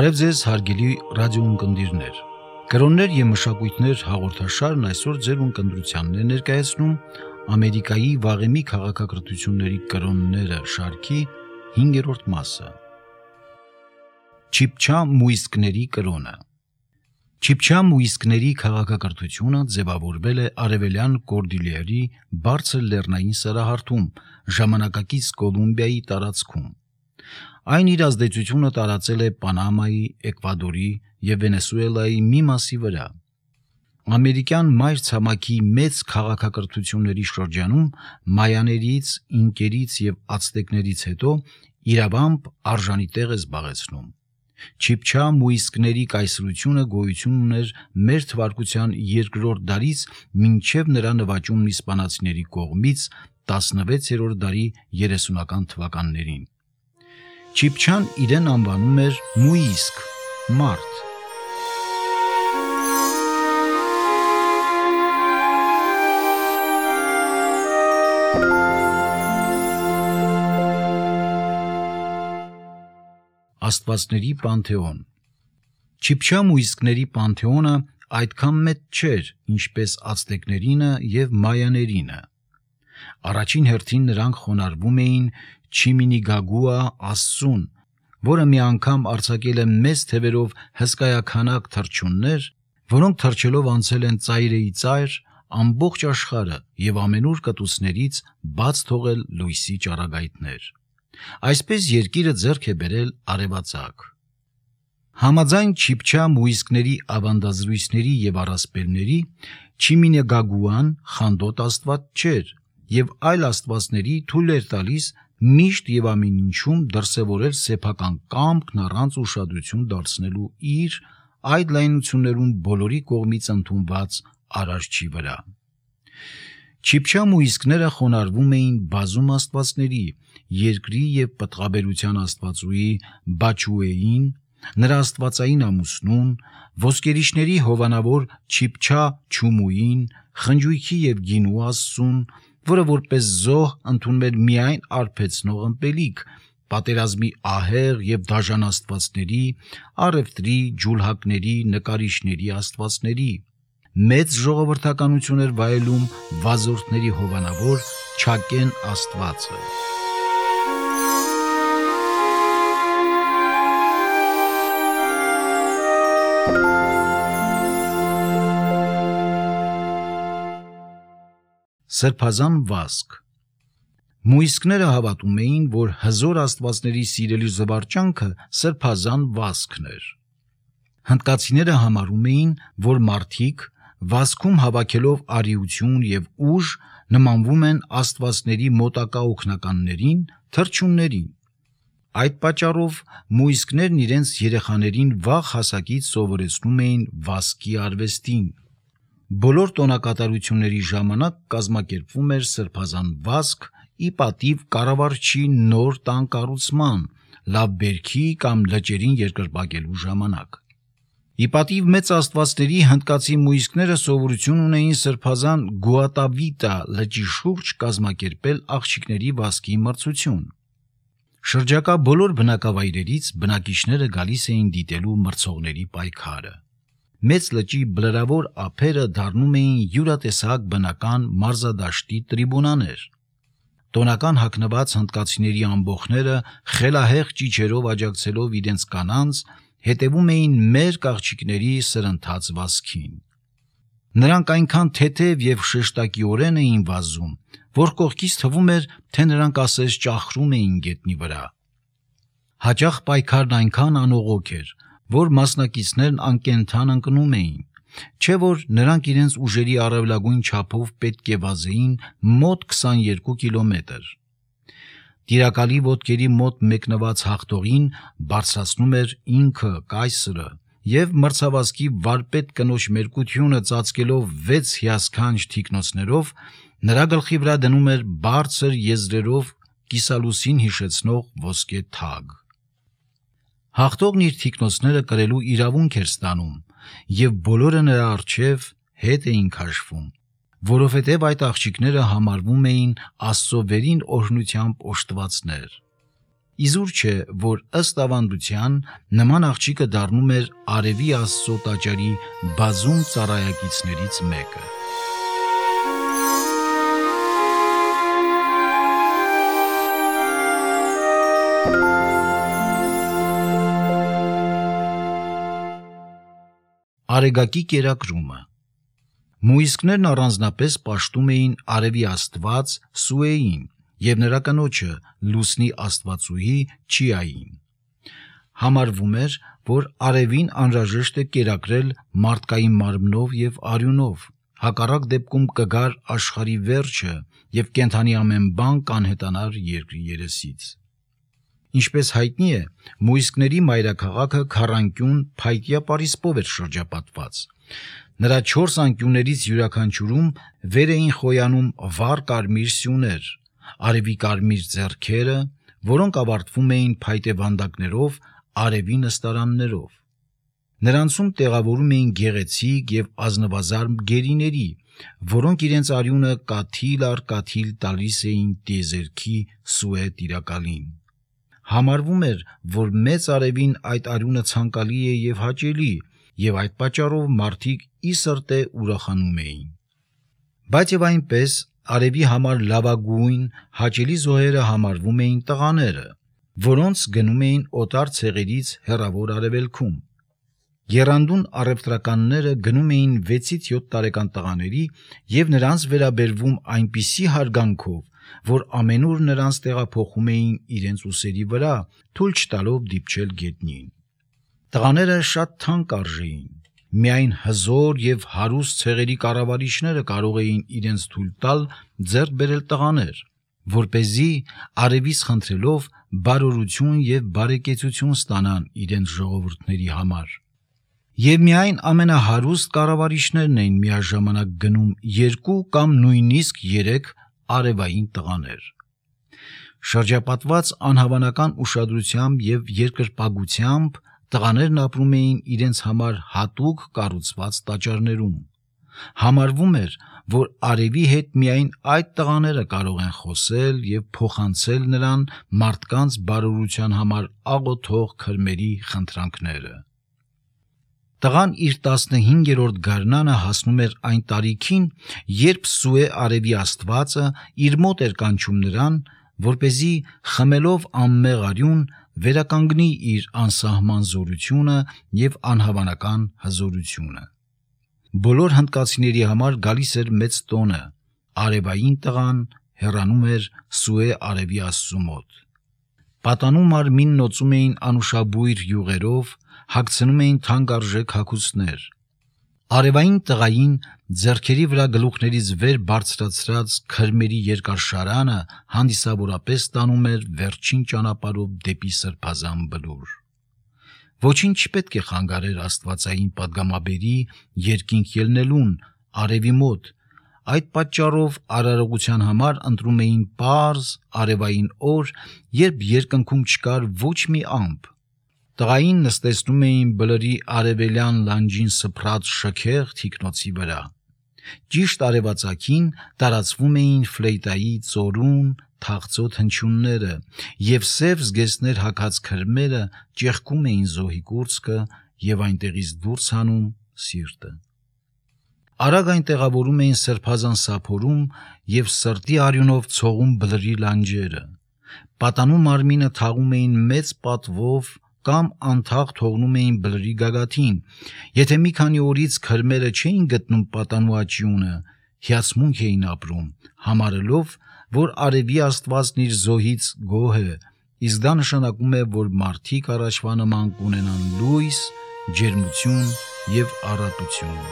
Բարև ձեզ հարգելի ռադիոընկերներ։ Կրոններ եւ մշակույթներ հաղորդաշարն այսօր ձեր ունկնդրությանն է ներկայացնում Ամերիկայի վաղեմի քաղաքակրթությունների կրոնները շարքի 5-րդ մասը։ Չիպչա մուիսկների կրոնը։ Չիպչա մուիսկների քաղաքակրթությունը ձևավորվել է արևելյան Կորդիլիերի բարձր լեռնային սրահարթում, ժամանակակից Կոլումբիայի տարածքում։ Այն իր ազդեցությունը տարածել է Պանամայի, Էկվադորի և Վենեսուելայի մի մասի վրա։ Ամերիկյան մայր ցամաքի մեծ քաղաքակրթությունների շրջանում մայաներից, ինկերից և ացտեկներից հետո իրավամբ արժանի տեղ է զբաղեցնում։ Չիպչա մուիսկների կայսրությունը գոյություն ուներ մեր թվարկության 2-րդ դարից մինչև նրա նվաճումն իսպանացիների կողմից 16-րդ դարի 30-ական թվականներին։ Չիպչան իրեն անվանում էր մուիսկ, մարդ։ Աստվածների պանթեոն։ Չիպչա մուիսկների պանթեոնը այդքան մեծ չէր, ինչպես ացտեկներինը և մայաներինը։ Առաջին հերթին նրանք խոնարհվում էին Չիմինիգագուա աստծուն, որը մի անգամ արձակել է մեծ թևերով հսկայաքանակ թռչուններ, որոնք թռչելով անցել են ծայրեի ծայր ամբողջ աշխարհը և ամենուր կտուցներից բաց թողել լույսի ճառագայթներ։ Այսպես երկիրը ձեռք է բերել արևածագ։ Համաձայն Չիպչա մուիսկների ավանդազրույցների և առասպելների, Չիմինիգագուան խանդոտ աստված չէր և այլ աստվածների թույլ էր տալիս միշտ և ամեն ինչում դրսևորել սեփական կամքն առանց ուշադրություն դարձնելու իր այդ լայնություններում բոլորի կողմից ընդունված Արարչի վրա։ Չիպչա մուիսկները խոնարհվում էին բազում աստվածների, երկրի և պտղաբերության աստվածուի Բաչուեին, նրա աստվածային ամուսնուն, ոսկերիչների հովանավոր Չիպչա Չումուին, խնջույքի և գինու աստծուն, որը որպես զոհ ընդունում էր միայն արբեցնող ըմպելիք, պատերազմի ահեղ և դաժան աստվածների, առևտրի, ջուլհակների, նկարիչների աստվածների։ Մեծ ժողովրդականություն էր վայելում վազորդների հովանավոր Չակեն աստվածը։ Սրբազան վազք։ Մուիսկները հավատում էին, որ հզոր աստվածների սիրելի զվարճանքը սրբազան վազքն էր։ Հնդկացիները համարում էին, որ մարդիկ վազքում հավաքելով արիություն և ուժ նմանվում են աստվածների մոտակա օգնականներին, թռչուններին։ Այդ պատճառով մուիսկներն իրենց երեխաներին վաղ հասակից սովորեցնում էին վազքի արվեստին։ Բոլոր տոնակատարությունների ժամանակ կազմակերպվում էր սրբազան վազք ի պատիվ կառավարչի նոր տան կառուցման, լավ բերքի կամ լճերին երկրպագելու ժամանակ։ Ի պատիվ մեծ աստվածների հնդկացի մուիսկները սովորություն ունեին սրբազան Գուատավիտա լճի շուրջ կազմակերպել աղջիկների վազքի մրցություն։ Շրջակա բոլոր բնակավայրերից բնակիչները գալիս էին դիտելու մրցողների պայքարը։ Մեծ լճի բլրավոր ափերը դառնում էին յուրատեսակ բնական մարզադաշտի տրիբունաներ։ Տոնական հագնված հնդկացիների ամբոխները խելահեղ ճիչերով աջակցելով իրենց կանանց հետևում էին մերկ աղջիկների սրընթաց վազքին։ Նրանք այնքան թեթև և շեշտակիորեն էին վազում, որ կողքից թվում էր, թե նրանք ասես ճախրում էին գետնի վրա։ Հաճախ պայքարն այնքան անողոք էր, որ մասնակիցներն անկենդան ընկնում էին, չէ որ նրանք իրենց ուժերի առավելագույն չափով պետք է վազեին մոտ 22 կիլոմետր։ Տիրակալի ոտքերի մոտ մեկնված հաղթողին բարձրացնում էր ինքը կայսրը և մրցավազքի վարպետ կնոջ մերկությունը ծածկելով 6 հիասքանչ թիկնոցներով նրա գլխի վրա դնում էր բարձր եզրերով կիսալուսին հիշեցնող ոսկե թագ։ Հաղթողն իր թիկնոցները կրելու իրավունք էր ստանում և բոլորը նրա առջև հետ էին քաշվում, որովհետև այդ աղջիկները համարվում էին Աստծո վերին օրհնությամբ օժտվածներ։ Իզուր չէ, որ ըստ ավանդության նման աղջիկը դառնում էր Արևի Աստծո տաճարի բազում ծառայակիցներից մեկը։ Արեգակի կերակրումը։ Մույսկներն առանձնապես պաշտում էին Արևի Աստված Սուեին և նրա կնոջը Լուսնի Աստվածուհի Չիային։ Համարվում էր, որ Արևին անհրաժեշտ է կերակրել մարդկային մարմնով և արյունով, հակառակ դեպքում կգար աշխարհի վերջը և կենդանի ամեն բան կանհետանար երկրի երեսից։ Ինչպես հայտնի է, մույսկների մայրաքաղաքը քառանկյուն փայտյա պարիսպով էր շրջապատված։ Նրա 4 անկյուններից յուրաքանչյուրում վեր էին խոյանում վառ կարմիր սյուներ, արևի կարմիր ձեռքերը, որոնք ավարտվում էին փայտե վանդակներով, արևի նստարաններով։ Նրանցում տեղավորում էին գեղեցիկ և ազնվազարդ գերիների, որոնք իրենց արյունը կաթիլ առ կաթիլ տալիս էին տիեզերքի Սուե տիրակալին։ Համարվում էր, որ մեծ արևին այդ արյունը ցանկալի է և հաճելի, և այդ պատճառով մարդիկ ի սրտե ուրախանում էին։ Բայց և այնպես արևի համար լավագույն հաճելի զոհերը համարվում էին տղաները, որոնց գնում էին օտար ցեղերից հեռավոր արևելքում։ Եռանդուն առևտրականները գնում էին 6-ից 7 տարեկան տղաների և նրանց վերաբերվում այնպիսի հարգանքով, որ ամենուր նրանց տեղափոխում էին իրենց ուսերի վրա, թույլ չտալով դիպչել գետնին։ Տղաները շատ թանկ արժեին։ Միայն հզոր և հարուստ ցեղերի կառավարիչները կարող էին իրենց թույլ տալ ձեռք բերել տղաներ, որպեսզի արևից խնդրելով բարօրություն և բարեկեցություն ստանան իրենց ժողովուրդների համար։ Եվ միայն ամենահարուստ կառավարիչներն էին միաժամանակ գնում 2 կամ նույնիսկ 3 արևային տղաներ։ Շրջապատված անհավանական ուշադրությամբ և երկրպագությամբ տղաներն ապրում էին իրենց համար հատուկ կառուցված տաճարներում։ Համարվում էր, որ արևի հետ միայն այդ տղաները կարող են խոսել և փոխանցել նրան մարդկանց բարօրության համար աղոթող քրմերի խնդրանքները։ Տղան իր 15-րդ գարնանը հասնում էր այն տարիքին, երբ Սուե Արևի Աստվածը իր մոտ էր կանչում նրան, որպեսզի խմելով անմեղ արյուն վերականգնի իր անսահման զորությունը և անհավանական հզորությունը։ Բոլոր հնդկացիների համար գալիս էր մեծ տոնը, արևային տղան հեռանում էր Սուե Արևի Աստծու մոտ։ Պատանու մարմինն օծում էին անուշաբույր յուղերով, հագցնում էին թանկարժեք հագուստներ։ Արևային տղային ձեռքերի վրա գլուխներից վեր բարձրացրած քրմերի երկար շարանը հանդիսավորապես տանում էր վերջին ճանապարհով դեպի սրբազան բլուր։ Ոչինչ չպետք է խանգարեր աստվածային պատգամաբերի երկինք ելնելուն արևի մոտ, այդ պատճառով արարողության համար ընտրում էին պարզ արևային օր, երբ երկնքում չկար ոչ մի ամպ։ Տղային նստեցնում էին բլրի արևելյան լանջին սփռած շքեղ թիկնոցի վրա։ Ճիշտ արևածագին տարածվում էին ֆլեյտայի ծորուն, թախծոտ հնչյունները, և սև զգեստներ հագած քրմերը ճեղքում էին զոհի կուրծքը և այնտեղից դուրս հանում սիրտը։ Արագ այն տեղավորում էին սրբազան սափորում և սրտի արյունով ցողում բլրի լանջերը։ Պատանու մարմինը թաղում էին մեծ պատվով կամ անթաղ թողնում էին բլրի գագաթին։ Եթե մի քանի օրից քրմերը չէին գտնում պատանու աճյունը, հիացմունք էին ապրում, համարելով, որ Արևի Աստվածն իր զոհից գոհ է, իսկ դա նշանակում է, որ մարդիկ առաջվա նման կունենան լույս, ջերմություն և առատություն։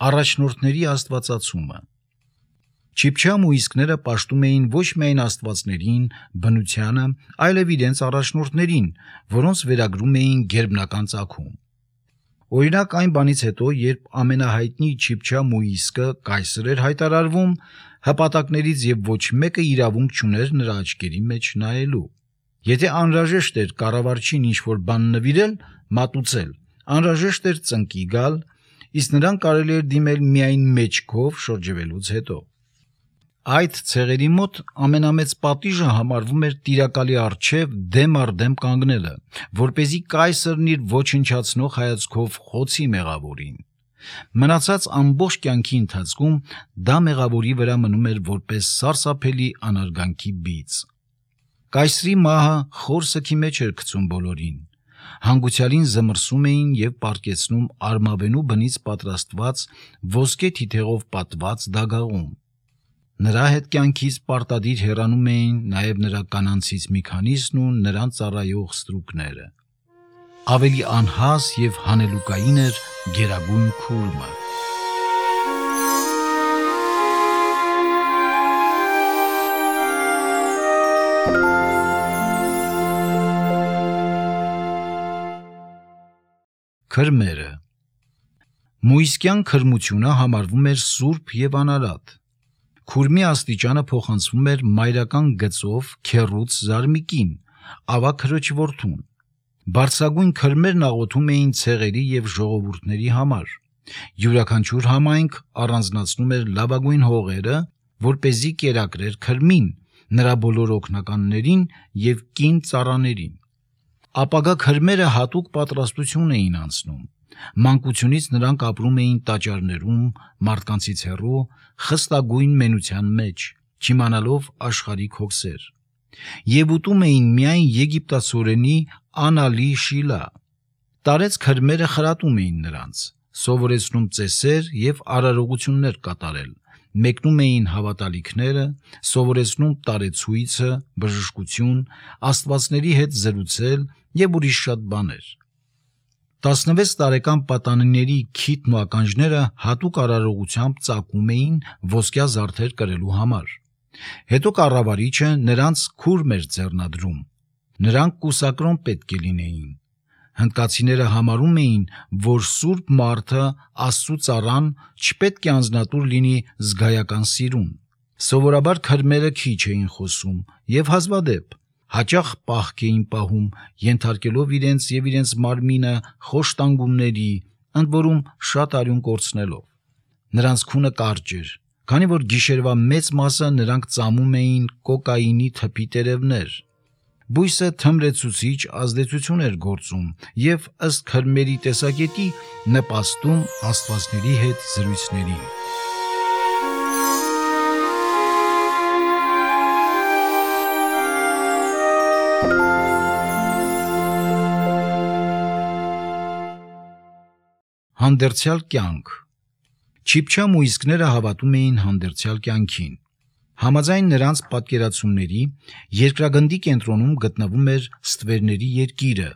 Առաջնորդների աստվածացումը։ Չիփչա մույսկները պաշտում էին ոչ միայն աստվածներին, բնությանը, այլև իրենց առաջնորդներին, որոնց վերագրում էին գերբնական ծագում։ Օրինակ այն բանից հետո, երբ ամենահայտնի Չիփչա մույսկը կայսր էր հայտարարվում, հպատակներից և ոչ մեկը իրավունք չուներ նրա աչքերի մեջ նայելու։ Եթե անհրաժեշտ էր կառավարչին ինչ-որ բան նվիրել, մատուցել, անհրաժեշտ էր ծնկի գալ, իսկ նրան կարելի էր դիմել միայն մեջքով շրջվելուց հետո։ Այդ ցեղերի մոտ ամենամեծ պատիժը համարվում էր տիրակալի առջև դեմ առ դեմ կանգնելը, որպեսզի կայսրն իր ոչնչացնող հայացքով խոցի մեղավորին։ Մնացած ամբողջ կյանքի ընթացքում դա մեղավորի վրա մնում էր որպես սարսափելի անարգանքի բիծ։ Կայսրի մահը խոր սգի մեջ էր գցում բոլորին։ Հանգուցյալին զմրսում էին և պառկեցնում արմավենու բնից պատրաստված ոսկե թիթեղով պատված դագաղում։ Նրա հետ կյանքից պարտադիր հեռանում էին նաև նրա կանանցից մի քանիսն ու նրան ծառայող ստրուկները։ Ավելի անհաս և հանելուկային էր Գերագույն Քուրմը։ Քրմերը։ Մույսկյան քրմությունը համարվում էր սուրբ և անարատ։ Քուրմի աստիճանը փոխանցվում էր մայրական գծով քեռուց զարմիկին, ավագ քրոջ որդուն։ Բարձրագույն քրմերն աղոթում էին ցեղերի և ժողովուրդների համար։ Յուրաքանչյուր համայնք առանձնացնում էր լավագույն հողերը, որպեսզի կերակրեր քրմին, նրա բոլոր օգնականներին և կին ծառաներին։ Ապագա քրմերը հատուկ պատրաստություն էին անցնում։ Մանկությունից նրանք ապրում էին տաճարներում, մարդկանցից հեռու, խստագույն մենության մեջ, չիմանալով աշխարհիկ հոգսեր։ Եվ ուտում էին միայն եգիպտացորենի անալի շիլա։ Տարեց քրմերը խրատում էին նրանց, սովորեցնում ծեսեր և արարողություններ կատարել, մեկնում էին հավատալիքները, սովորեցնում տարեցույցը, բժշկություն, աստվածների հետ զրուցել և ուրիշ շատ բաներ։ 16 տարեկան պատանիների քիթն ու ականջները հատուկ արարողությամբ ծակում էին ոսկյա զարդեր կրելու համար։ Հետո կառավարիչը նրանց քուրմ էր ձեռնադրում։ Նրանք կուսակրոն պետք է լինեին։ Հնդկացիները համարում էին, որ սուրբ մարդը Աստծու ծառան չպետք է անձնատուր լինի զգայական սիրուն։ Սովորաբար քրմերը քիչ էին խոսում և հազվադեպ, հաճախ պահք էին պահում, ենթարկելով իրենց և իրենց մարմինը խոշտանգումների, ընդ որում շատ արյուն կորցնելով։ Նրանց քունը կարճ էր, քանի որ գիշերվա մեծ մասը նրանք ծամում էին կոկաինի թփի տերևներ։ Բույսը թմրեցուցիչ ազդեցություն էր գործում և ըստ քրմերի տեսակետի նպաստում աստվածների հետ զրույցներին։ Հանդերձյալ կյանք։ Չիփչա մույսկները հավատում էին հանդերձյալ կյանքին։ Համաձայն նրանց պատկերացումների, երկրագնդի կենտրոնում գտնվում էր ստվերների երկիրը,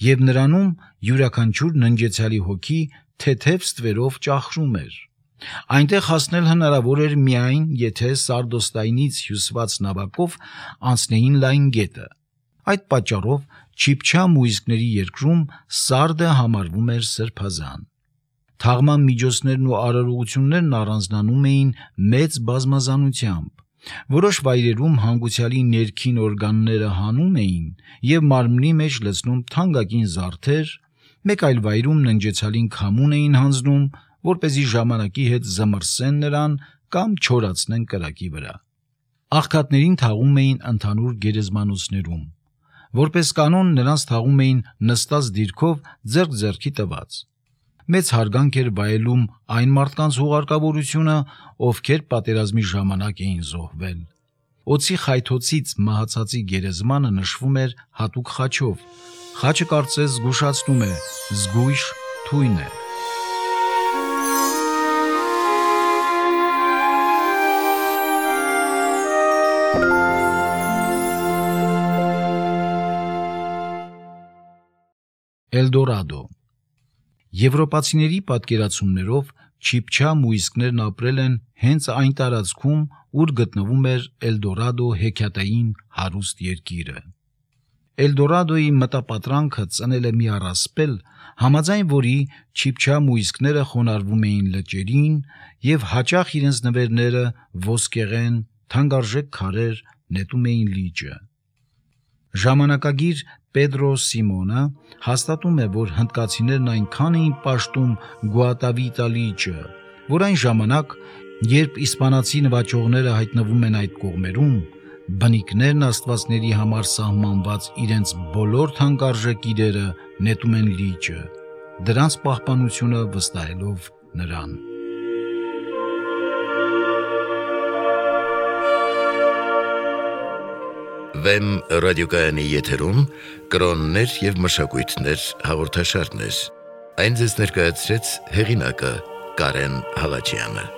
և նրանում յուրաքանչյուր ննջեցյալի հոգի թեթև ստվերով ճախրում էր։ Այնտեղ հասնել հնարավոր էր միայն, եթե սարդոստայնից հյուսված նավակով անցնեին լայն գետը։ Այդ պատճառով Չիփչա մույսկների երկրում սարդը համարվում էր սրբազան։ Թաղման միջոցներն ու արարողություններն առանձնանում էին մեծ բազմազանությամբ։ Որոշ վայրերում հանգուցյալի ներքին օրգանները հանում էին և մարմնի մեջ լցնում թանկագին զարդեր, մեկ այլ վայրում ննջեցյալին քամուն էին հանձնում, որպեսզի ժամանակի հետ զմռսեն նրան կամ չորացնեն կրակի վրա։ Աղքատներին թաղում էին ընդհանուր գերեզմանոցներում։ Որպես կանոն նրանց թաղում էին նստած դիրքով ձեռք ձեռքի տված։ Մեծ հարգանք էր վայելում այն մարդկանց հուղարկավորությունը, ովքեր պատերազմի ժամանակ էին զոհվել։ Օձի խայթոցից մահացածի գերեզմանը նշվում էր հատուկ խաչով։ Խաչը կարծես զգուշացնում է, զգույշ թույն է։ Էլդորադո։ Եվրոպացիների պատկերացումներով Չիփչա մույսկներն ապրել են հենց այն տարածքում, ուր գտնվում էր Էլդորադո հեքիաթային հարուստ երկիրը։ Էլդորադոյի մտապատրանքը ծնել է մի առասպել, համաձայն որի Չիփչա մույսկները խոնարհվում էին լճերին և հաճախ իրենց նվերները ոսկեղեն, թանկարժեք քարեր նետում էին լիճը։ Ժամանակագիր Պեդրո Սիմոնը հաստատում է, որ հնդկացիներն այնքան էին պաշտում Գուատավիտա լիճը, որ այն ժամանակ, երբ իսպանացի նվաճողները հայտնվում են այդ կողմերում, բնիկներն աստվածների համար սահմանված իրենց բոլոր թանկարժեք իրերը նետում են լիճը, դրանց պահպանությունը վստահելով նրան։ Վեմ ռադիոկայանի եթերում կրոններ և մշակույթներ հաղորդաշարներ։ Այն ձեզ ներկայացրեց հեղինակը Կարեն Հալաջյանը։